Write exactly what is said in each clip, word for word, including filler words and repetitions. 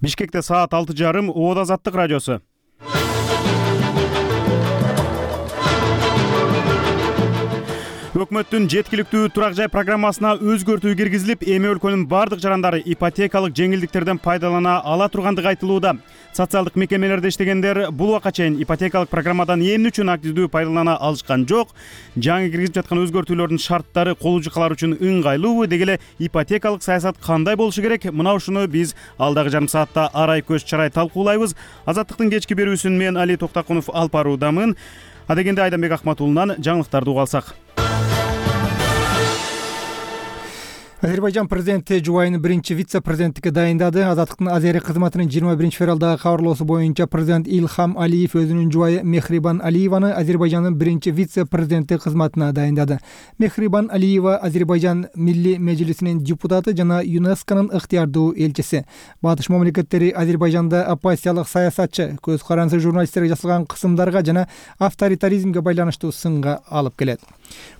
Бишкекте саат алты жарым Обод Азаттык радиосу. Өкмөттүн жеткиликтүү турак жай программасына өзгөртүү киргизилип, эми өлкөнүн бардык жарандары ипотекалык жеңилдиктерден пайдалана ала тургандыгы айтылууда. Социалдык мекемелерде иштегендер бул убакка чейин ипотекалык программадан эмне үчүн активдүү пайдалана алышкан жок, жаңы киргизип жаткан өзгөртүүлөрдүн шарттары колуучулар үчүн ыңгайлуубу, деги эле ипотекалык саясат кандай болушу керек? Мына ушуну биз алдагы жарым саатта арай көз чарай талкуулайбыз. Азаттыктын кечки берүүсүн мен Али Токтакунов алып баруудамын. Адегенде Айданбек Акматуллунан жаңылыктарды угуп алсак. Азербайжан президенти жубайын биринчи вице-президенттикке дайындады. Азаттыктын Азия кызматынын жыйырма биринчи февралдагы кабарлоосу боюнча президент Илхам Алиев өзүнүн жубайы Мехрибан Алиеваны Азербайжандын биринчи вице-президенти кызматына дайындады. Мехрибан Алиева Азербайжан Милли Мejlisинин депутаты жана ЮНЕСКОнун ыктыярдуу элчиси. Батыш мамлекеттери Азербайжанда оппозициялык саясатчы, көз карансыз журналисттерге жасалган кысымдарга жана авторитаризмге байланыштуу сынга алып келет.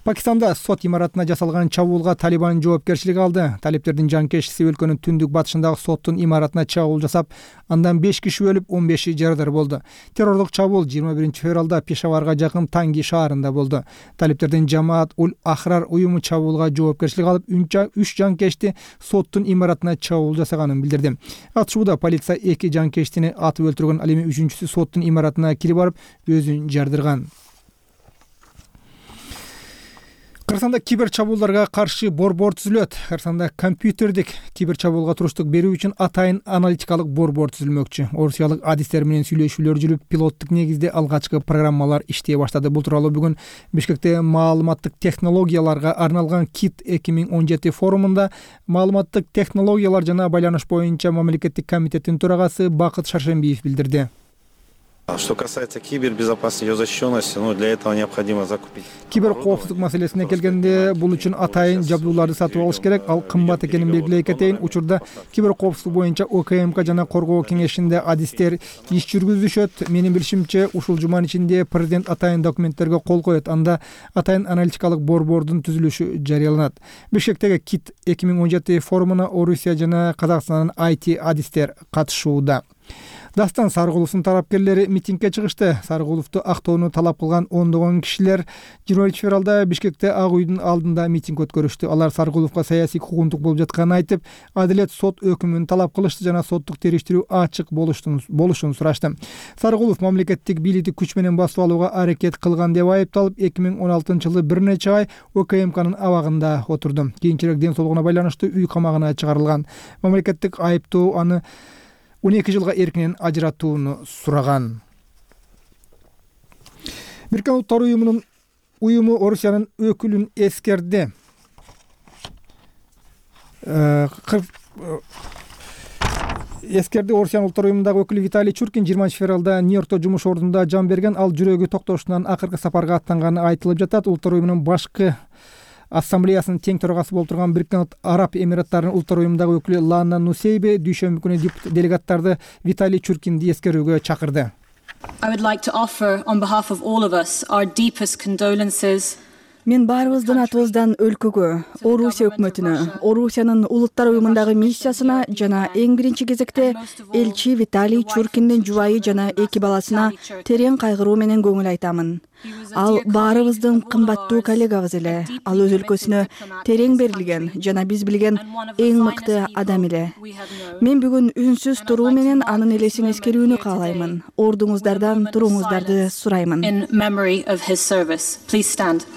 Пакистанда сот имаратына жасалган чабуулга Талибан жоопкерчилик алды. Талиптердин жанкечиси өлкөнүн түндүк батышындагы соттун имаратына чабуул жасап, андан беш киши өлүп, он беши жарадар болду. Террорлук чабуул жыйырма биринчи февралда Пешаварга жакын Танги шаарында болду. Талиптердин Жамаат Уль Ахрар уюму чабуулга жоопкерчилик алып, үч жанкечти соттун имаратына чабуул жасаганын билдирди. Атышууда полиция эки жанкечтини атып өлтүргөн, ал эми үчүнчүсү соттун имаратына кирип барып, өзүн жардырган. Кыргызстанда кибер чабуулдарга каршы борбор түзүлөт. Кыргызстанда компьютердик кибер чабуулга туруштук берүү үчүн атайын аналитикалык борбор түзүлмөкчү. Орусиялык адистер менен сүйлөшүүлөр жүрүп, пилоттук негизде алгачкы программалар иштей баштады. Бул тууралуу бүгүн Бишкекте маалыматтык технологияларга арналган КИТ эки миң он жети форумунда маалыматтык технологиялар жана байланыш боюнча мамлекеттик комитеттин төрагасы Бакыт Шаршембиев билдирди. Что касается кибербезопасности, ее защищенности, ну, для этого необходимо закупить. Кибер коопсуздук маселесине келгенде, бул үчүн атайын жабдууларды сатып алыш керек. Ал кымбат экенин белгилей кетейин. Учурда кибер коопсуздук боюнча ОКМК жана коргоо кеңешинде адистер иш жүргүзүшөт. Менин билишимче, ушул жуманын ичинде президент атайын документтерге кол коет. Анда атайын аналитикалык борбордун түзүлүшү жарыяланат. Бишкектеги КИТ эки миң он жети форумуна Орусия жана Казакстандын ай ти адистер катышууда. Дастан Сарыгуловдун тарапкерлери митингге чыгышты. Сарыгуловду актоону талап кылган ондогон кишилер жыйырма биринчи февралда Бишкекте Ак үйдүн алдында митинг өткөрүштү. Алар Сарыгуловго саясий куугунтук болуп жатканын айтып, адилет сот өкүмүн талап кылышты жана соттук териштирүү ачык болушун сурашты. Сарыгулов мамлекеттик бийликти күч менен басып алууга аракет кылган деп айыпталып, эки миң он алтынчы жылы бир нече ай ОКМКнын абагында отурду. Кийинчерээк ден соолугуна байланыштуу үй камагына чыгарылган. Мамлекеттик айыптоо аны он эки жылга эркинен ажыратууну сураган. Бириккен Улуттар уюмунун уюму Орусиянын өкүлүн эскерди. Эскерди Орусиянын Улуттар уюмундагы өкүлү Виталий Чуркин жыйырманчы февралда Нью-Йоркто жумуш ордунда жан берген. Ал жүрөгү токтошунан акыркы сапарга аттанганы айтылып жатат. Улуттар уюмунун башкы ассамблеясынын тең төрагасы болуп турган Бириккен Араб Эмираттарынын Улуттар уюмундагы өкүлү Лана Нусейбе дүйшөмбү күнү делегаттарды Виталий Чуркинди эскерүүгө чакырды. I would like to offer on behalf of all of us our deepest condolences. Мен баарыбыздын атыбыздан өлкөгө, Орусия өкмөтүнө, Орусиянын Улуттар уюмундагы миссиясына жана эң биринчи кезекте элчи Виталий Чуркиндин жубайы жана эки баласына терең кайгыруу менен көңүл айтамын. Ал баарыбыздын кымбаттуу коллегабыз эле. Ал өз өлкөсүнө терең берилген жана биз билген эң мыкты адам эле. Мен бүгүн үнсүз туруу менен анын элесин эскерүүнү каалаймын. Ордуңуздардан туруңуздарды сураймын. In memory of his service. Please stand.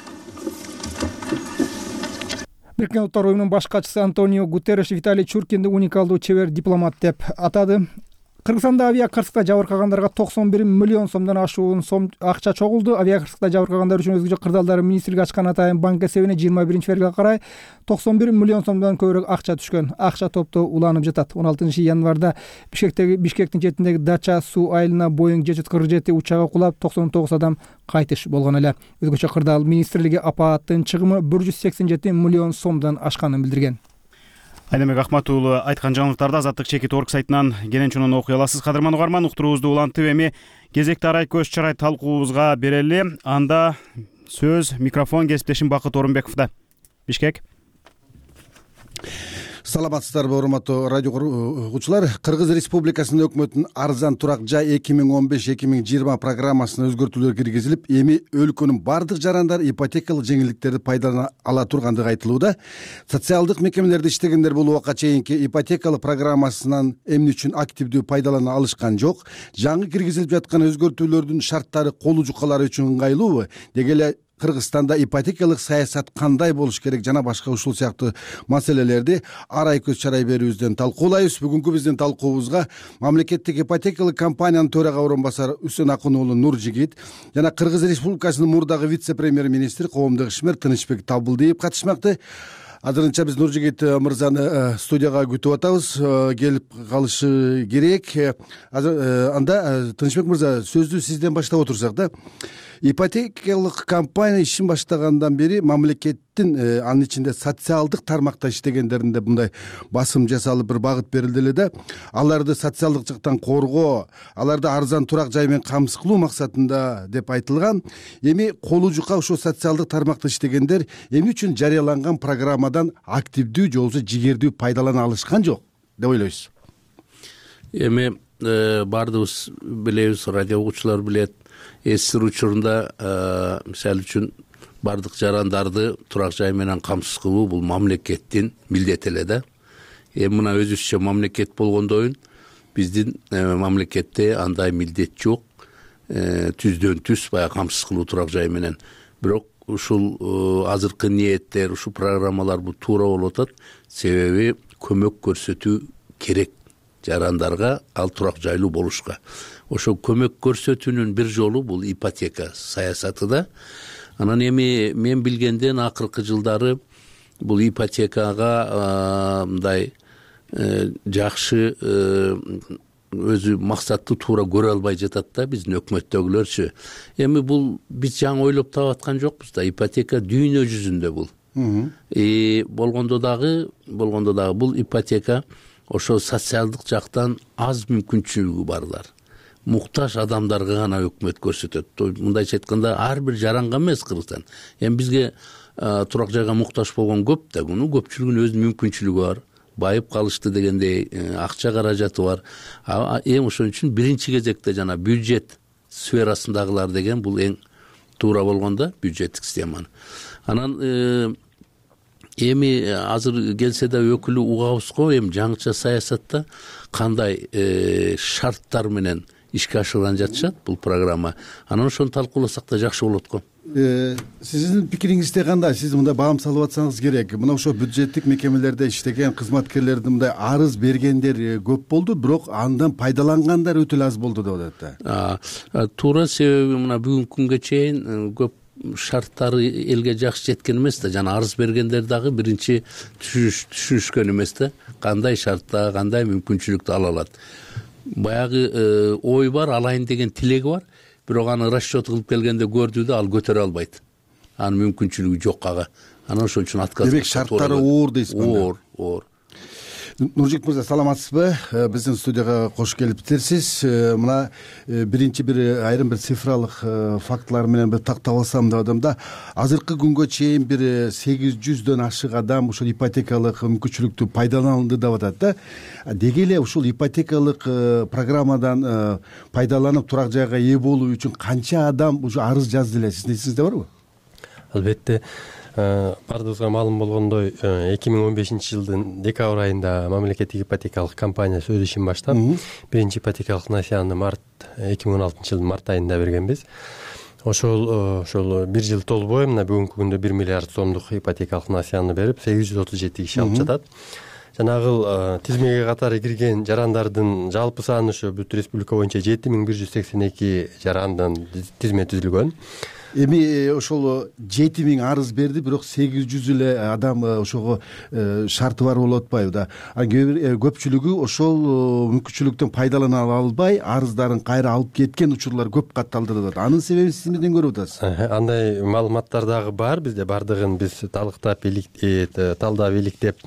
Бириккен Улуттар уюмунун баш катчысы Антонио Гутерреш Виталий Чуркинди уникалдуу чебер дипломат деп атады. Кыргызстанда авиакырсыкта жабыркагандарга токсон бир миллион сомдон ашуун сом акча чогулду. Авиакырсыкта жабыркагандар үчүн өзгөчө кырдаалдар министрлиги ачкан атайын банк эсебине жыйырма биринчи февралга карай токсон бир миллион сомдон көбүрөөк акча түшкөн. Акча топтоо уланып жатат. он алтынчы январда Бишкектеги Бишкектин четиндеги Дача суу айылына Боeing жети жүз кырк жети учагы кулап, токсон тогуз адам кайтыш болгон эле. Өзгөчө кырдаал министрлиги апааттын чыгымы бир жүз сексен жети миллион сомдон ашканын билдирген. Айданбек Акматулу айткан жаңылыктарды Азаттык чекит орг сайтынан кенен чунун окуй аласыз. Кадырман угарман, уктуруубузду улантып эми кезекти арай көз чарай талкуубузга берели. Анда сөз микрофон кесиптешим Бакыт Орунбековдо. Бишкек. Саламатсыздарбы, урматтуу радио угуучулар. Кыргыз Республикасынын өкмөтүнүн арзан турак жай эки миң он беш эки миң жыйырма программасына өзгөртүүлөр киргизилип, эми өлкөнүн бардык жарандары ипотекалык жеңилдиктерди пайдалана ала тургандыгы айтылууда. Социалдык мекемелерде иштегендер бул убакка чейинки ипотекалык программасынан эмне үчүн активдүү пайдалана алышкан жок? Жаңы киргизилип жаткан өзгөртүүлөрдүн шарттары колу жукалары үчүн ыңгайлуубу? Деги эле Кыргызстанда ипотекалык саясат кандай болуш керек жана башка ушул сыяктуу маселелерди арай көз чарай берүүбүздөн талкуулайбыз. Бүгүнкү биздин талкуубузга мамлекеттик ипотекалык компаниянын төрага орун басары Үсөн Акын уулу Нуржигит жана Кыргыз Республикасынын мурдагы вице-премьер-министри коомдук ишмер Тынычбек Табылдиев катышмакты. Азырынча биз Нуржигит мырзаны студияга күтүп атабыз, келип калышы керек. Анда Тынычбек мырза, сөздү сизден баштап отурсак да. Ипотекалык компания ишин баштагандан бери мамлекеттин анын ичинде социалдык тармакта иштегендеринде мындай басым жасалып бир багыт берилди эле да. Аларды социалдык жактан коргоо, аларды арзан турак жай менен камсыз кылуу максатында деп айтылган. Эми колу жука ошо социалдык тармакта иштегендер эмне үчүн жарыяланган программадан активдүү же болбосо жигердүү пайдалана алышкан жок деп ойлойсуз? Эми баардыгыбыз билебиз, радио угуучулар билет. Эсир учурунда мисалы үчүн бардык жарандарды турак жай менен камсыз кылуу бул мамлекеттин милдети эле да. Эми мына өзүбүзчө мамлекет болгондойун биздин мамлекетте андай милдет жок. Түздөн түз баягы камсыз кылуу турак жай менен. Бирок ушул азыркы ниеттер, ушул программалар бул туура болуп атат. Себеби көмөк көрсөтүү керек жарандарга, ал турак жайлуу болушка. Ошо көмөк көрсөтүүнүн бир жолу бул ипотека саясаты да. Анан эми мен билгенден акыркы жылдары бул ипотекага мындай жакшы өзү максатты туура көрө албай жатат да биздин өкмөттөгүлөрчү. Эми бул биз жаңы ойлоп таап аткан жокпуз да. Ипотека дүйнө жүзүндө бул. И болгондо дагы, болгондо дагы бул ипотека ошо социалдык жактан аз мүмкүнчүлүгү барлар, муктаж адамдарга гана өкмөт көрсөтөт. Мындайча айтканда ар бир жаранга эмес Кыргызстан. Эми бизге турак жайга муктаж болгон көп да, муну көпчүлүгүнүн өзүнүн мүмкүнчүлүгү бар. Байып калышты дегендей акча каражаты бар. Эң ошон үчүн биринчи кезекте жана бюджет сферасындагылар деген бул эң туура болгондо бюджеттик системаны. Анан эми азыр келсе да өкүлү угабыз го, эми жаңыча саясатта кандай шарттар менен ишке ашырган жатышат бул программа. Анан ошону талкууласак да жакшы болот го. Сиздин пикириңизде кандай? Сиз мындай баам салып атсаңыз керек. Мына ошо бюджеттик мекемелерде иштеген кызматкерлердин мындай арыз бергендер көп болду, бирок андан пайдалангандар өтө аз болду деп атат. Туура, себеби мына бүгүнкү күнгө чейин көп шарттары элге жакшы жеткен эмес да, жана арыз бергендер дагы биринчи түшүнүшкөн эмес да, кандай шартта, кандай мүмкүнчүлүктү ала алат. Баягы ой бар, алайын деген тилеги бар, бирок аны расчет кылып келгенде көрдү да, ал көтөрө албайт. Анын мүмкүнчүлүгү жок ага. Анан ошон үчүн отказ. Демек шарттары оор дейсизби? Оор, оор. Нуржигит мырза, саламатсызбы? Биздин студияга кош келиптирсиз. Мына биринчи бир айрым бир цифралык фактылар менен бир тактап алсам деп атам да. Азыркы күнгө чейин бир сегиз жүздөн ашык адам ушул ипотекалык мүмкүнчүлүктү пайдаланды деп атат да. Деги эле ушул ипотекалык программадан пайдаланып турак жайга ээ болуу үчүн канча адам ушу арыз жазды эле? Сиздин эсиңизде барбы? Албетте. Бардыгыбызга маалым болгондой, эки миң он бешинчи жылдын декабрь айында мамлекеттик ипотекалык компаниясы өз ишин баштап, биринчи ипотекалык насыяны март эки миң он алтынчы жылдын март айында бергенбиз. Ошол ошол бир жыл толбой мына бүгүнкү күндө бир миллиард сомдук ипотекалык насыяны берип, сегиз жүз отуз жети киши алып жатат. Жанагыл тизмеге катары кирген жарандардын жалпы саны ошо бүт республика боюнча жети миң бир жүз сексен эки жарандын тизме түзүлгөн. Эми ошол жети миң арыз берди, бирок сегиз жүз эле адам ошого шарты бар болуп атпайбы да. Көпчүлүгү ошол мүмкүнчүлүктөн пайдалана албай, арыздарын кайра алып кеткен учурлар көп катталды деп атат. Анын себебин сиз эмнеден көрүп атасыз? Андай маалыматтар дагы бар. Бизде бардыгын биз талыктап, талдап, иликтеп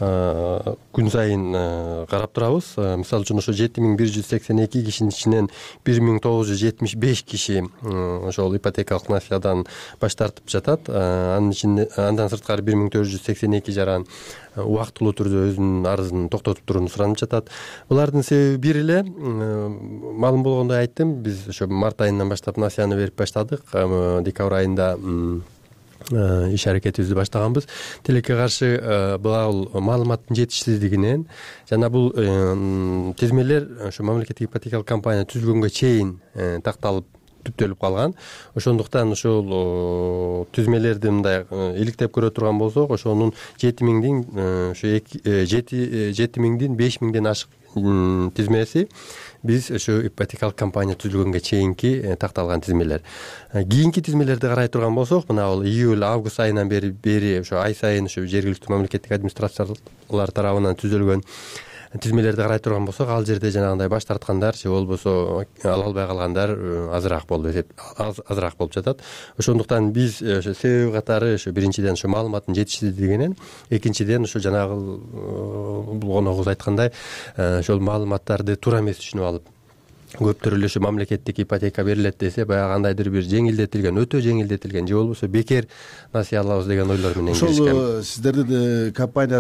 күн сайын карап турабыз. Мисалы үчүн ошо жети миң бир жүз сексен эки кишинин ичинен бир миң тогуз жүз жетимиш беш киши ошол ипотекалык насыядан баш тартып жатат. Анын ичинде андан сырткары бир миң төрт жүз сексен эки жаран убактылуу түрдө өзүнүн арызын токтотуп турууну суранып жатат. Булардын себеби бир эле, маалым болгондой айттым, биз ошо март айынан баштап насыяны берип баштадык. Декабрь айында иш аракетибизди баштаганбыз. Тилекке каршы бул маалыматтын жетишсиздигинен жана бул тизмелер ошо мамлекеттик ипотекалык компания түзүлгөнгө чейин такталып түптөлүп калган. Ошондуктан ошол түзмелерди мындай иликтеп көрө турган болсок, ошонун жети миңдин ошо жети миңдин беш миңден ашык тизмеси биз ошо ипотекалык компания түзүлгөнгө чейинки такталган тизмелер. Кийинки тизмелерди карай турган болсок, мына бул июль август айынан бери бери ошо ай сайын ошо жергиликтүү мамлекеттик администрациялар тарабынан түзүлгөн тизмелерди карай турган болсок, ал жерде жанагындай баш тарткандар же болбосо ала албай калгандар азыраак болуп эсеп азыраак болуп жатат. Ошондуктан биз ошо себеби катары ошо биринчиден ошо маалыматтын жетишсиздигинен, экинчиден ошо жанагы бул коногубуз айткандай ошол маалыматтарды туура эмес түшүнүп алып, көптөр эле ошо мамлекеттик ипотека берилет десе, баягы кандайдыр бир жеңилдетилген, өтө жеңилдетилген же болбосо бекер насыя алабыз деген ойлор менен киришкен. Ошол сиздердин компания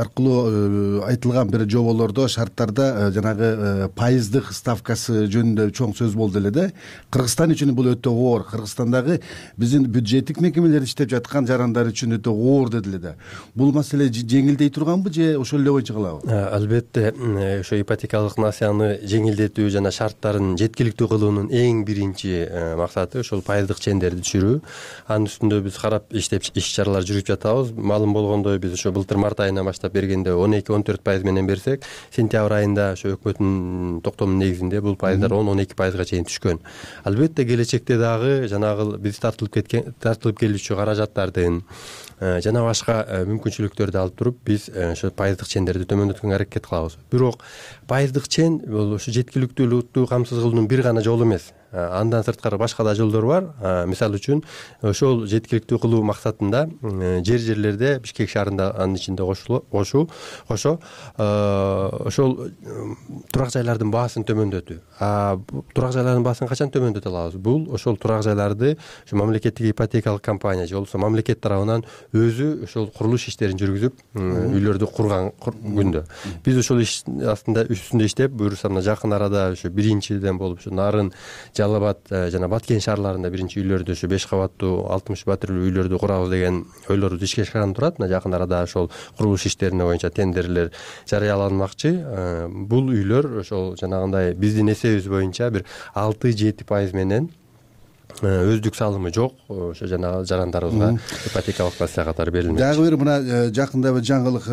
аркылуу айтылган бир жоболордо, шарттарда жанагы пайыздык ставкасы жөнүндө чоң сөз болду эле да. Кыргызстан үчүн бул өтө оор. Кыргызстандагы биздин бюджеттик мекемелер иштеп жаткан жарандар үчүн өтө оор деди эле да. Бул маселе жеңилдей турганбы же ошол эле боюнча кылабы? Албетте, ошо ипотекалык насыяны жеңилдетүү жана шарттарын жеткиликтүү кылуунун эң биринчи максаты ошол пайыздык чендерди түшүрүү. Анын үстүндө биз карап иштеп иш чаралар жүргүзүп жатабыз. Маалым болгондой, биз ошо былтыр март айынан баштап бергенде он эки он төрт пайыз менен берсек, сентябрь айында ошо өкмөттүн токтомунун негизинде бул пайыздар он он эки пайызга чейин түшкөн. Албетте келечекте дагы жанагы биз тартылып кеткен тартылып келүүчү каражаттардын жана башка мүмкүнчүлүктөрдү алып туруп биз ошо пайыздык чендерди төмөндөткөнгө аракет кылабыз. Бирок пайыздык чен бул ошо жеткиликтүүлүктү камсыз кылуунун бир гана жолу эмес. Андан сырткары башка да жолдор бар. Мисалы үчүн ошол жеткиликтүү кылуу максатында жер жерлерде Бишкек шаарында анын ичинде кошуу кошо ошол турак жайлардын баасын төмөндөтүү. А турак жайлардын баасын качан төмөндөтө алабыз? Бул ошол турак жайларды ошо мамлекеттик ипотекалык компания же болбосо мамлекет тарабынан өзү ошол курулуш иштерин жүргүзүп, үйлөрдү курган күндө. Биз ошол иш астында үстүндө иштеп, буюрса мына жакын арада ошо биринчиден болуп ошо Нарын, Жалал абад жана Баткен шаарларында биринчи үйлөрдү ошо беш кабаттуу алтымыш батирлүү үйлөрдү курабыз деген ойлорубуз ишке ашкан турат. Мына жакын арада ошол курулуш иштерине боюнча тендерлер жарыяланмакчы. Бул үйлөр ошол жанагындай биздин эсебибиз боюнча бир алты жети пайыз менен өздүк салымы жок ошо жанагы жарандарыбызга ипотекалык насыя катары берилмек. Дагы бир мына жакында бир жаңылык,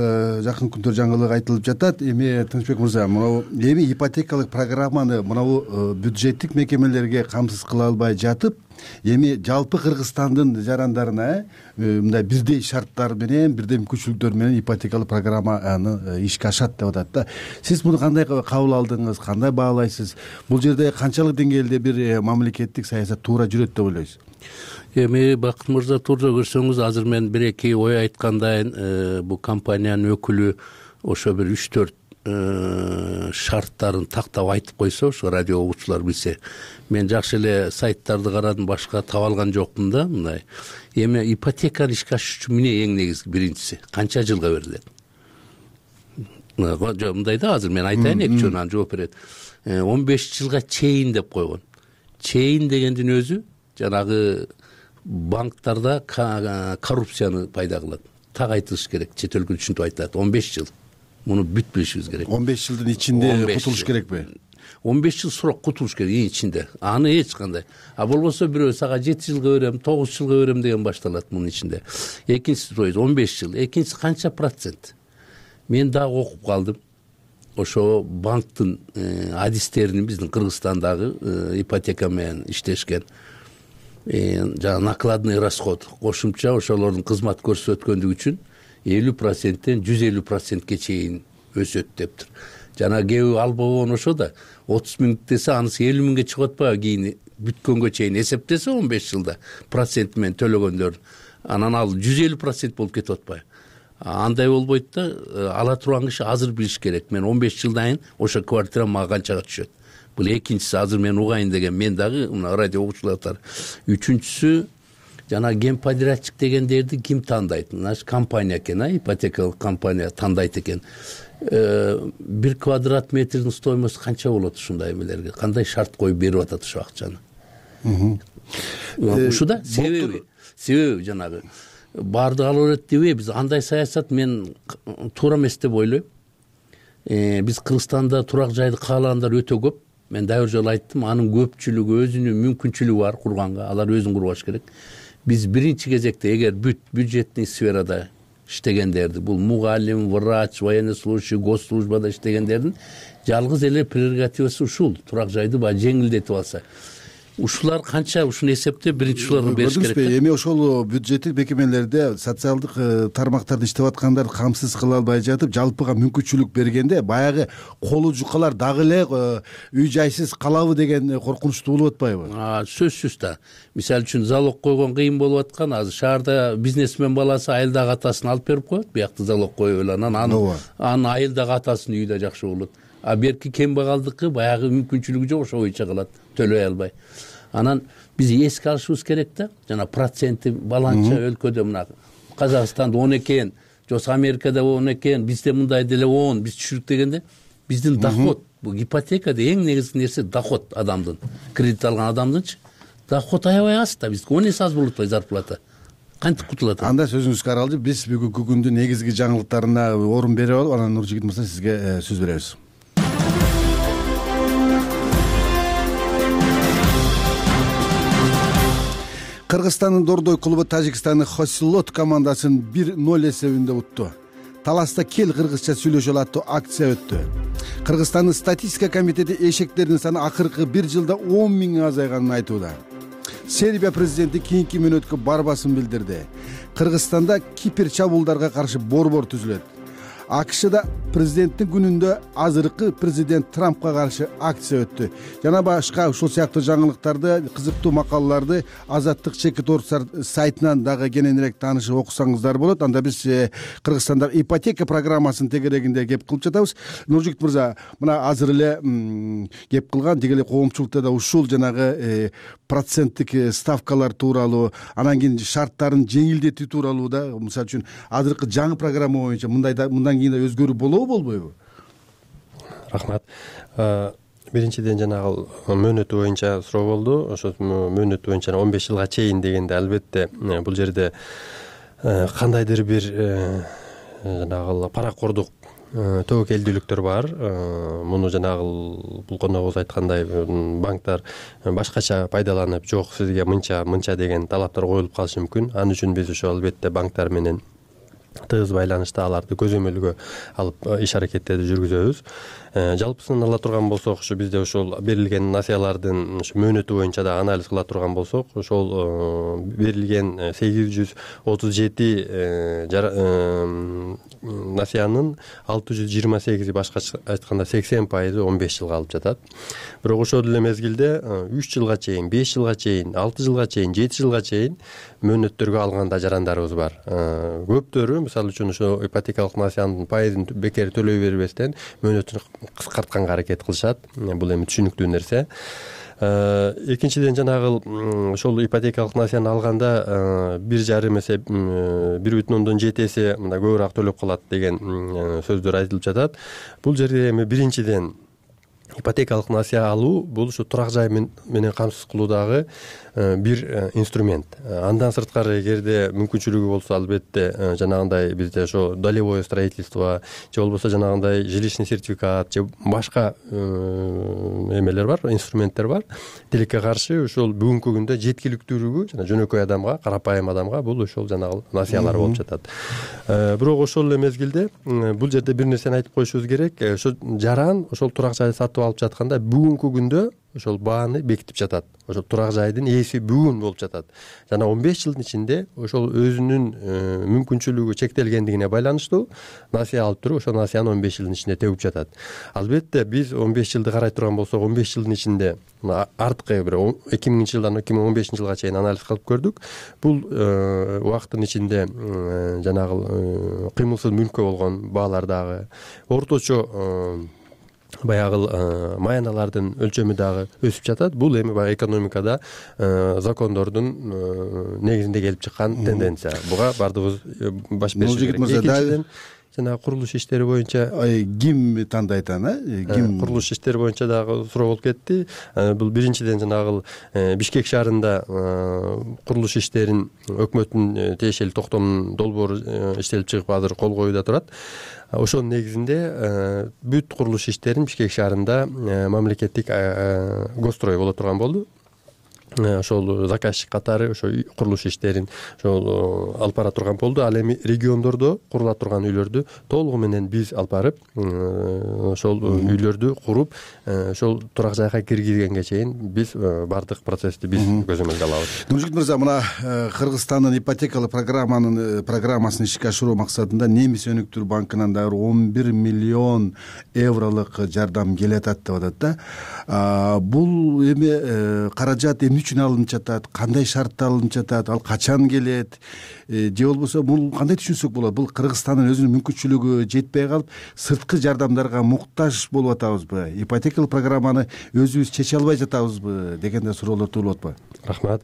жакын күндөр жаңылык айтылып жатат. Эми Тынычбек мырза, мына эми ипотекалык программаны мына бюджеттик мекемелерге камсыз кыла албай жатып, эми жалпы Кыргызстандын жарандарына мындай бирдей шарттар менен, бирдей мүмкүнчүлүктөр менен ипотекалык программаны ишке ашат деп атат да. Сиз муну кандай кабыл алдыңыз, кандай баалайсыз? Бул жерде канчалык деңгээлде бир мамлекеттик саясат туура жүрөт деп ойлойсуз? Эми Бакыт мырза туура көрсөңүз, азыр мен бир эки ой айткандайын, бул компаниянын өкүлү ошо бир үч төрт шарттарын тактап айтып койсо, ошо радио угуучулар билсе. Мен жакшы эле сайттарды карадым, башка таба алган жокмун да. Мындай эми ипотеканы ишке ашыш үчүн эмне эң негизги биринчиси канча жылга берилет? Мындай да, азыр мен айтайын, эки жөн анан жооп берет. он беш жылга чейин деп койгон. Чейин дегендин өзү жанагы банктарда коррупцияны пайда кылат. Так айтылыш керек, чет өлкө түшүнүп айтат. он беш жыл. Муну бүт билишибиз керек. он беш жылдын ичинде кутулуш керекпи? он беш жыл сурак кутулуш керек ичинде. Аны эч кандай. А болбосо бирөө сага жети жылга берем, тогуз жылга берем деген башталат мунун ичинде. Экинчиси он беш жыл. Экинчиси канча процент? Мен дагы окуп калдым. Ошо банктын адистеринин биздин Кыргызстандагы ипотека менен иштешкен жана накладный расход кошумча ошолордун кызмат көрсөткөндүгү үчүн элүү проценттен жүз элүү процентке чейин өсөт дептир. Жана кеби албаган ошо да отуз миң десе анысы элүү миңге чыгып атпайбы кийин бүткөнгө чейин эсептесе он беш жылда процент менен төлөгөндөр. Анан ал жүз элүү процент болуп кетип атпайбы. андай болбойт да, ала турган киши азыр билиш керек. Мен он беш жылдан кийин ошо квартира мага канчага түшөт. Бул экинчиси, азыр мен угайын деген. Мен дагы мына радио угуучулар. Үчүнчүсү жана генподрядчик дегендерди ким тандайт? Наш компания экен, а ипотекалык компания тандайт экен. Бир квадрат метрдин стоимосу канча болот ушундай эмелерге? Кандай шарт коюп берип атат ушул акчаны? Ушуда себеби, себеби жанагы баардыгы ала берет дебей, биз андай саясат мен туура эмес деп ойлойм. Биз Кыргызстанда турак жайды каалагандар өтө көп. Мен дагы бир жолу айттым, анын көпчүлүгү өзүнүн мүмкүнчүлүгү бар курганга, алар өзүн курбаш керек. Биз биринчи кезекте эгер бүт бюджетный сферада иштегендерди, бул мугалим, врач, военнослужащий, госслужбада иштегендердин жалгыз эле прерогативасы ушул, турак жайды баягы жеңилдетип алса. Ушулар канча ушуну эсептеп биринчи ушуларга бериш керек. Эми ошол бюджеттик мекемелерде социалдык тармактарда иштеп аткандарды камсыз кыла албай жатып, жалпыга мүмкүнчүлүк бергенде баягы колу жукалар дагы эле үй жайсыз калабы деген коркунучтуу болуп атпайбы? Сөзсүз да. Мисалы үчүн залог койгон кыйын болуп аткан. Азыр шаарда бизнесмен баласы айылдагы атасын алып берип коет, биякта залог коюп эле анан анын айылдагы атасынын үйү да жакшы болот. А берки кембагалдыкы баягы мүмкүнчүлүгү жок, ошо боюнча калат, төлөй албай. Анан биз эске алышыбыз керек да, жана проценти баланча өлкөдө мына Казакстанда он экен, жок Америкада он экен, бизде мындай деле он, биз түшүрүк дегенде биздин доход, бул ипотекада эң негизги нерсе доход адамдын, кредит алган адамдынчы доход аябай аз да, бизге он эсе аз болуп атпайбы зарплата. Кантип кутулат? Анда сөзүңүзгө аралжы, биз бүгүнкү күндүн негизги жаңылыктарына орун берип алып, анан Нуржигит мырза сизге сөз беребиз. Кыргызстандын Дордой клубу Тажикстандын Хосилот командасын бир ноль эсебинде утту. Таласта кел кыргызча сүйлөшөлү аттуу акция өттү. Кыргызстандын статистика комитети эшектердин саны акыркы бир жылда он миң азайганын айтууда. Сербия президенти кийинки мөөнөткө барбасын билдирди. Кыргызстанда кипер чабуулдарга каршы борбор түзүлөт. АКШда президенттин күнүндө азыркы президент Трампка каршы акция өттү. Жана башка ушул сыяктуу жаңылыктарды, кызыктуу макалаларды Азаттык чекит орустар сайтынан дагы кененирээк таанышып окусаңыздар болот. Анда биз Кыргызстандагы ипотека программасын тегерегинде кеп кылып жатабыз. Нуржигит мырза, мына азыр эле кеп кылган деги эле коомчулукта да ушул жанагы проценттик ставкалар тууралуу, анан кийин шарттарын жеңилдетүү тууралуу да, мисалы үчүн азыркы жаңы программа боюнча мындай да мындан кийин да өзгөрүү болобу, болбойбу? Рахмат. Биринчиден жанагы мөөнөтү боюнча суроо болду. Ошо мөөнөтү боюнча он беш жылга чейин дегенде албетте бул жерде кандайдыр бир жанагы паракордук тобокелдүүлүктөр бар. Муну жанагы бул коногубуз айткандай банктар башкача пайдаланып, жок сизге мынча мынча деген талаптар коюлуп калышы мүмкүн. Ал үчүн биз ошо албетте банктар менен тыгыз байланышта аларды көзөмөлгө алып иш аракеттерди жүргүзөбүз. Жалпысын ала турган болсок, ушу бизде ошол берилген насыялардын мөөнөтү боюнча да анализ кыла турган болсок, ошол берилген сегиз жүз отуз жети насыянын алты жүз жыйырма сегизи башкача айтканда сексен пайызы он беш жылга алып жатат. Бирок ошол эле мезгилде үч жылга чейин, беш жылга чейин, алты жылга чейин, жети жылга чейин мөөнөттөргө алган жарандарыбыз бар. Көптөрү мисалы үчүн ошо ипотекалык насыянын пайызын бекер төлөй бербестен мөөнөтүн кыскартканга аракет кылышат. Бул эми түшүнүктүү нерсе. Экинчиден жанагы ошол ипотекалык насыяны алганда бир жарым эсе бир бүтүн ондон жети эсе мындай көбүрөөк төлөп калат деген сөздөр айтылып жатат. Бул жерде эми биринчиден ипотекалык насыя алуу бул ушу турак жай менен камсыз кылуудагы бир инструмент. Андан сырткары эгерде мүмкүнчүлүгү болсо албетте жанагындай бизде ошо долевое строительство же болбосо жанагындай жилищный сертификат же башка эмелер бар, инструменттер бар. Тилекке каршы ошол бүгүнкү күндө жеткиликтүүлүгү жана жөнөкөй адамга, карапайым адамга бул ошол жанагы насыялар болуп жатат. Бирок ошол эле мезгилде бул жерде бир нерсени айтып коюшубуз керек. Ошо жаран ошол турак жайды сатып алып жатканда бүгүнкү күндө ошол бааны бекитип жатат. Ошол турак жайдын ээси бүгүн болуп жатат. Жана он беш жылдын ичинде ошол өзүнүн мүмкүнчүлүгү чектелгендигине байланыштуу насыя алып туруп, ошол насыяны он беш жылдын ичинде төбүп жатат. Албетте биз он беш жылды карай турган болсок, он беш жылдын ичинде арткы бир эки миңинчи жылдан эки миң он бешинчи жылга чейин анализ кылып көрдүк. Бул убакыттын ичинде жанагы кыймылсыз мүлккө болгон баалар дагы, орточо баягы маяналардын өлчөмү дагы өсүп жатат. Бул эми баягы экономикада закондордун негизинде келип чыккан тенденция. Буга баардыгыбыз баш беришибиз керек. Экинчиден жана курулуш иштери боюнча ким тандайт аны? Ким курулуш иштери боюнча дагы суроо болуп кетти. Бул биринчиден жанагы Бишкек шаарында курулуш иштерин өкмөттүн тиешелүү токтомунун долбоору иштелип чыгып азыр кол коюуда турат. Ошонун негизинде бүт курулуш иштерин Бишкек шаарында мамлекеттик госстрой боло турган болду. Ошол заказчик катары ошо курулуш иштерин ошол алып бара турган болду. Ал эми региондордо курула турган үйлөрдү толугу менен биз алып барып ошол үйлөрдү куруп ошол турак жайга киргизгенге чейин биз баардык процессти биз көзөмөлгө алабыз. Нуржигит мырза, мына Кыргызстандын ипотекалык программанын программасын ишке ашыруу максатында Немис өнүктүрүү банкынан дагы он бир миллион евролук жардам келатат деп атат да. Бул эми каражат эмне үчүн алынып жатат, кандай шартта алынып жатат, ал качан келет, же болбосо бул кандай түшүнсөк болот? Бул Кыргызстандын өзүнүн мүмкүнчүлүгү жетпей калып, сырткы жардамдарга муктаж болуп атабызбы? Ипотекалык программаны өзүбүз чече албай жатабызбы деген да суроолор туулуп атпайбы? Рахмат.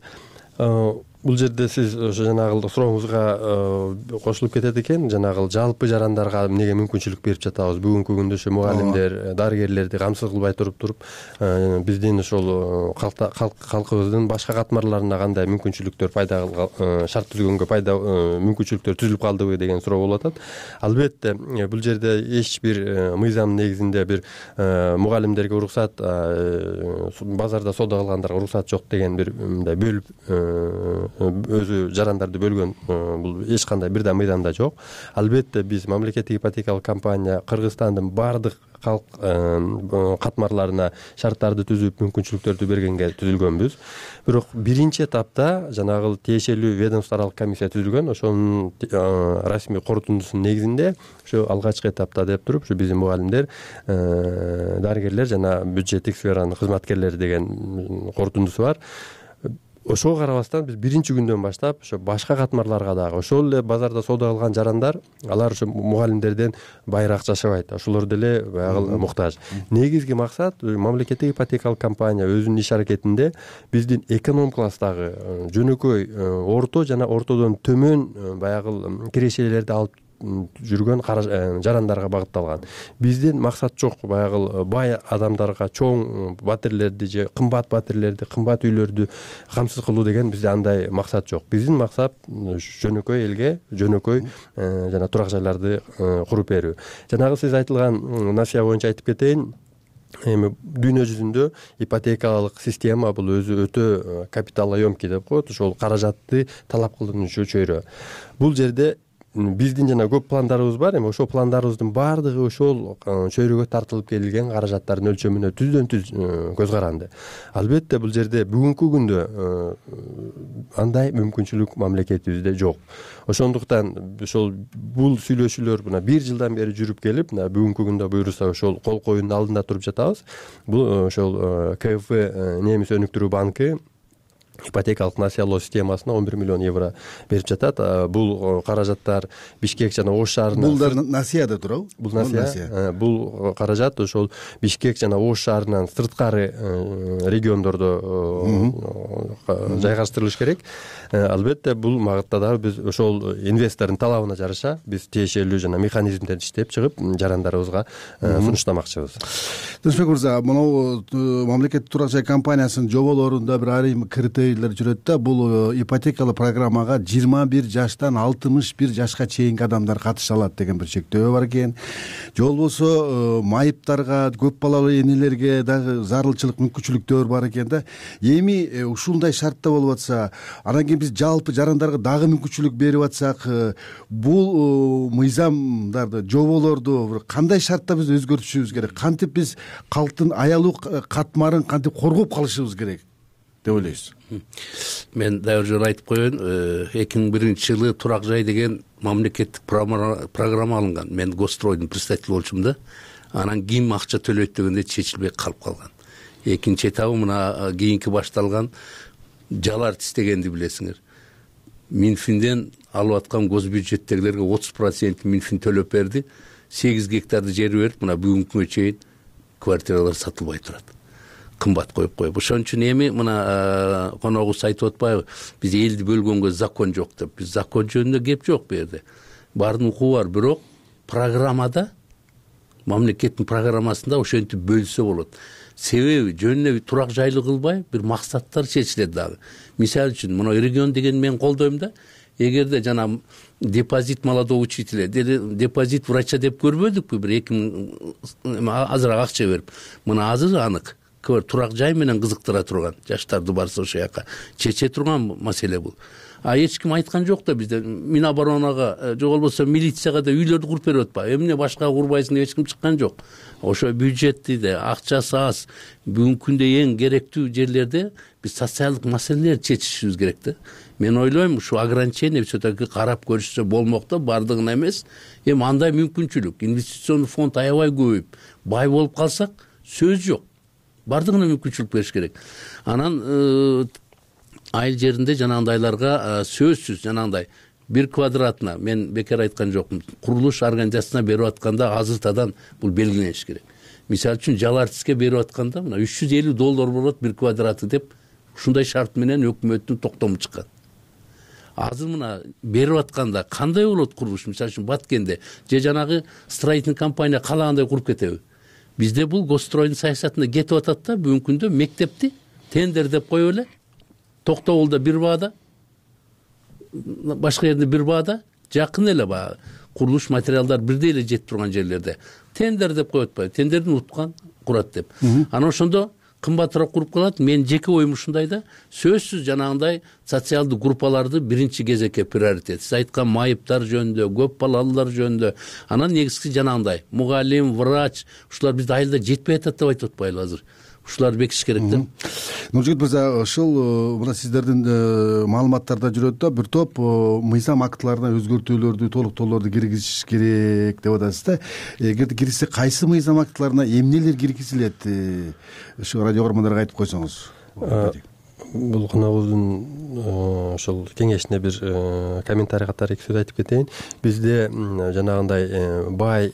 Бул жерде сиз ошо жанагы сурооңузга кошулуп кетет экен. Жанагы жалпы жарандарга эмнеге мүмкүнчүлүк берип жатабыз? Бүгүнкү күндө ошо мугалимдер, дарыгерлерди камсыз кылбай туруп туруп биздин ошол калкыбыздын башка катмарларына кандай мүмкүнчүлүктөр пайда шарт түзгөнгө пайда мүмкүнчүлүктөр түзүлүп калдыбы деген суроо болуп атат. Албетте бул жерде эч бир мыйзам негизинде бир мугалимдерге уруксат, базарда соода кылгандарга уруксат жок деген бир мындай бөлүп өзү жарандарды бөлгөн бул эч кандай бир да мыйзамда жок. Албетте биз мамлекеттик ипотекалык компания Кыргызстандын баардык калк катмарларына шарттарды түзүп мүмкүнчүлүктөрдү бергенге түзүлгөнбүз. Бирок биринчи этапта жанагы тиешелүү ведомство аралык комиссия түзүлгөн. Ошонун расмий корутундусунун негизинде ошо алгачкы этапта деп туруп ушу биздин мугалимдер, дарыгерлер жана бюджеттик сферанын кызматкерлери деген корутундусу бар. Ошого карабастан биз биринчи күндөн баштап ошо башка катмарларга дагы ошол эле базарда соода кылган жарандар, алар ошо мугалимдерден байыраак жашабайт. Ошолор деле баягы муктаж. Негизги максат мамлекеттик ипотекалык компания өзүнүн иш аракетинде биздин эконом класстагы жөнөкөй, орто жана ортодон төмөн баягы кирешелерди алып жүргөн жарандарга багытталган. Биздин максат жок баягы бай адамдарга чоң батирлерди же кымбат батирлерди, кымбат үйлөрдү камсыз кылуу деген бизде андай максат жок. Биздин максат жөнөкөй элге жөнөкөй жана турак жайларды куруп берүү. Жанагы сиз айтылган насыя боюнча айтып кетейин. Эми дүйнө жүзүндө ипотекалык система бул өзү өтө капиталоемкий деп коет. Ошол каражатты талап кылынуучу чөйрө. Бул жерде биздин жана көп пландарыбыз бар. Эми ошол пландарыбыздын баардыгы ошол чөйрөгө тартылып келген каражаттардын өлчөмүнө түздөн түз көз каранды. Албетте бул жерде бүгүнкү күндө андай мүмкүнчүлүк мамлекетибизде жок. Ошондуктан ошол бул сүйлөшүүлөр мына бир жылдан бери жүрүп келип, мына бүгүнкү күндө буюрса ошол кол коюунун алдында туруп жатабыз. Бул ошол КФ Немис өнүктүрүү банкы ипотекалык насыялоо системасына он бир миллион евро берип жатат. Бул каражаттар Бишкек жана Ош шаарына. Бул да насыя да турабы? Бул насыя. Бул каражат ошол Бишкек жана Ош шаарынан сырткары региондордо жайгаштырылыш керек. Албетте бул магытта дагы биз ошол инвестордун талабына жараша биз тиешелүү жана механизмдерди иштеп чыгып жарандарыбызга сунуштамакчыбыз. Досбек мырза, могу мамлекеттик турак жай компаниясынын жоболорунда бир айрым критерий критерийлер жүрөт да. Бул ипотекалык программага жыйырма бир жаштан алтымыш бир жашка чейинки адамдар катыша алат деген бир чектөө бар экен. Же болбосо майыптарга, көп балалуу энелерге дагы зарылчылык мүмкүнчүлүктөр бар экен да. Эми ушундай шартта болуп атса, анан кийин биз жалпы жарандарга дагы мүмкүнчүлүк берип атсак, бул мыйзамдарды, жоболорду кандай шартта биз өзгөртүшүбүз керек? Кантип биз калктын аялуу катмарын кантип коргоп калышыбыз керек деп ойлойсуз? Мен дагы жөн айтып коеюн, эки миң биринчи жылы турак жай деген мамлекеттик программа алынган. Мен Гостройдун представители болчумун да. Анан ким акча төлөйт дегенде чечилбей калып калган. Экинчи этабы мына кийинки башталган жал артист дегенди билесиңер. Минфинден алып аткан госбюджеттегилерге отуз процент Минфин төлөп берди. сегиз гектарды жер берип, мына бүгүнкү күнгө чейин квартиралар сатылбай турат. Кымбат коюп коюп. Ошон үчүн эми мына коногубуз айтып атпайбы, биз элди бөлгөнгө закон жок деп. Биз закон жөнүндө кеп жок бу жерде. Баардын укугу бар, бирок программада, мамлекеттин программасында ошентип бөлсө болот. Себеби жөнүнө турак жайлы кылбай бир максаттар чечилет дагы. Мисалы үчүн, мына регион деген мен колдойм да. Эгерде жана депозит молодого учителя, депозит врача деп көрбөдүкпү, бир эки миң азыраак акча берип. Мына азыр анык. Турак жай менен кызыктыра турган, жаштарды барса ошол жака чече турган маселе бул. А эч ким айткан жок да бизде Миноборонага, же болбосо милицияга да үйлөрдү куруп берип атпайбы. Эмне башка курбайсың деп эч ким чыккан жок. Ошо бюджетти да, акчасы аз, бүгүнкү күндө эң керектүү жерлерде биз социалдык маселелерди чечишибиз керек да. Мен ойлойм, ушу ограничение все-таки карап көрүшсө болмок да, бардыгына эмес. Эми андай мүмкүнчүлүк, инвестиционный фонд аябай көбөйүп, бай болуп калсак, сөз жок. Бардыгына мүмкүнчүлүк бериш керек. Анан айыл жеринде жанагындайларга сөзсүз жанагындай бир квадратына, мен бекер айткан жокмун, курулуш организациясына берип атканда азыртадан бул белгилениш керек. Мисалы үчүн жал артистке берип атканда мына үч жүз элүү доллар болот бир квадраты деп ушундай шарт менен өкмөттүн токтому чыккан. Азыр мына берип атканда кандай болот курулуш? Мисалы үчүн Баткенде же жанагы строительный компания каалагандай куруп кетеби? Бизде бул Гостройдун саясатында кетип атат да, бүгүнкү күндө мектепти тендер деп коюп эле, Токтогулда бир баада, башка жерде бир баада, жакын эле баягы курулуш материалдар бирдей эле жетип турган жерлерде тендер деп коюп атпайбы? Тендердин уткан курат деп. Анан ошондо кымбатыраак куруп калат. Мен жеке оюм ушундай да, сөзсүз жанагындай социалдык группаларды биринчи кезекке приоритет. Сиз айткан майыптар жөнүндө, көп балалуулар жөнүндө, анан негизгиси жанагындай мугалим, врач, ушулар бизде айылда жетпей атат деп айтып атпайлы азыр. Ушуларды бекитиш керек да. Нуржигит мырза, ушул мына сиздердин маалыматтарда жүрөт да, бир топ мыйзам актыларына өзгөртүүлөрдү, толуктоолорду киргизиш керек деп атасыз да. Эгерде киргизсе, кайсы мыйзам актыларына эмнелер киргизилет? Ушу радио көрөрмандарга айтып койсоңуз. Бул коногубуздун ошол кеңешине бир комментарий катары эки сөз айтып кетейин. Бизде жанагындай бай,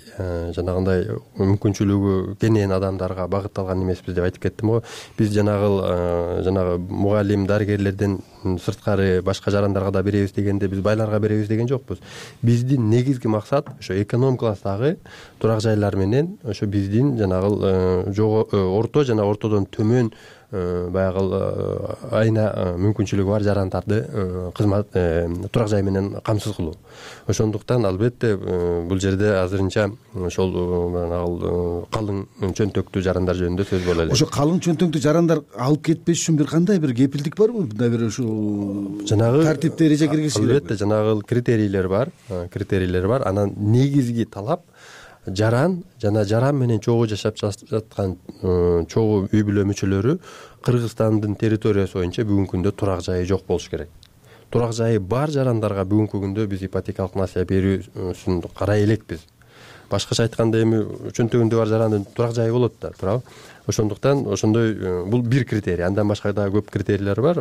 жанагындай мүмкүнчүлүгү кенен адамдарга багытталган эмеспиз деп айтып кеттим го. Биз жанагы жанагы мугалим, дарыгерлерден сырткары башка жарандарга да беребиз дегенде, биз байларга беребиз деген жокпуз. Биздин негизги максат ошо эконом класстагы турак жайлар менен ошо биздин жанагы орто жана ортодон төмөн баягы айына мүмкүнчүлүгү бар жарандарды кызмат турак жай менен камсыз кылуу. Ошондуктан албетте бул жерде азырынча ошол калың чөнтөктүү жарандар жөнүндө сөз боло элек. Ошо калың чөнтөктүү жарандар алып кетпеш үчүн бир кандай бир кепилдик барбы? Мындай бир ушул жанагы тартипте эреже киргизиш керек. Албетте жанагы критерийлер бар, критерийлер бар. Анан негизги талап жаран жана жаран менен чогуу жашап жаткан чогуу үй бүлө мүчөлөрү Кыргызстандын территориясы боюнча бүгүнкү күндө турак жайы жок болуш керек. Турак жайы бар жарандарга бүгүнкү күндө биз ипотекалык насыя берүүсүн карай элекпиз. Башкача айтканда эми чөнтөгүндө бар жарандын турак жайы болот да, туурабы? Ошондуктан ошондой бул бир критерий, андан башка да көп критерийлер бар.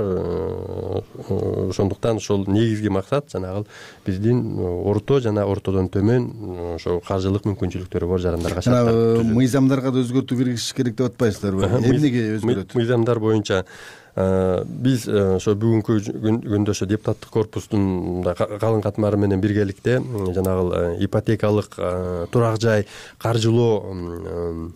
Ошондуктан ошол негизги максат жанагы биздин орто жана ортодон төмөн ошо каржылык мүмкүнчүлүктөрү бар жарандарга шарттар. Мыйзамдарга да өзгөртүү киргизиш керек деп атпайсыздарбы? Эмнеге өзгөрөт? Мыйзамдар боюнча биз ошо бүгүнкү күндө ошо депутаттык корпустун калың катмары менен биргеликте жанагы ипотекалык турак жай каржылоо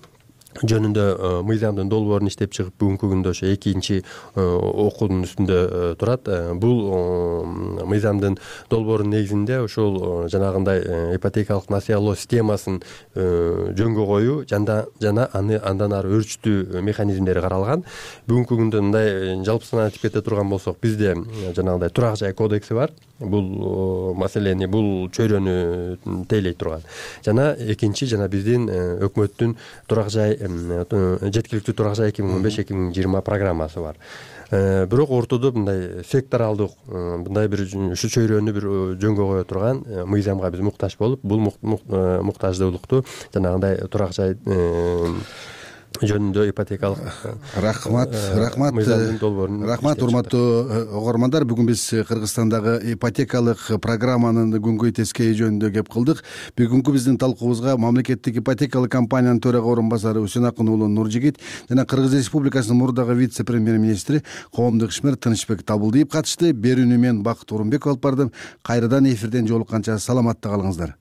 жөнүндө мыйзамдын долбоорун иштеп чыгып бүгүнкү күндө ошо экинчи окуунун үстүндө турат. Бул мыйзамдын долбоорунун негизинде ошол жанагындай ипотекалык насыялоо системасын жөнгө коюу жана жана аны андан ары өрчүтүү механизмдери каралган. Бүгүнкү күндө мындай жалпысынан айтып кете турган болсок, бизде жанагындай турак жай кодекси бар. Бул маселени, бул чөйрөнү тейлей турган. Жана экинчи жана биздин өкмөттүн турак жай жеткиликтүү турак жай эки миң он беш эки миң жыйырма программасы бар. Бирок ортодо мындай секторалдык мындай бир ушу чөйрөнү бир жөнгө кое турган мыйзамга биз муктаж болуп, бул муктаждуулукту жанагындай турак жай жөнүндө ипотекалык рахмат рахмат рахмат урматтуу угармандар. Бүгүн биз Кыргызстандагы ипотекалык программанын күнгөй тескейи жөнүндө кеп кылдык. Бүгүнкү биздин талкуубузга мамлекеттик ипотекалык компаниянын төрага орун басары Үсөнакын уулу Нуржигит жана Кыргыз Республикасынын мурдагы вице премьер-министри коомдук ишмер Тынычбек Табылдиев катышты. Берүүнү мен Бакыт Орунбеков алып бардым. Кайрадан эфирден жолукканча саламатта калыңыздар.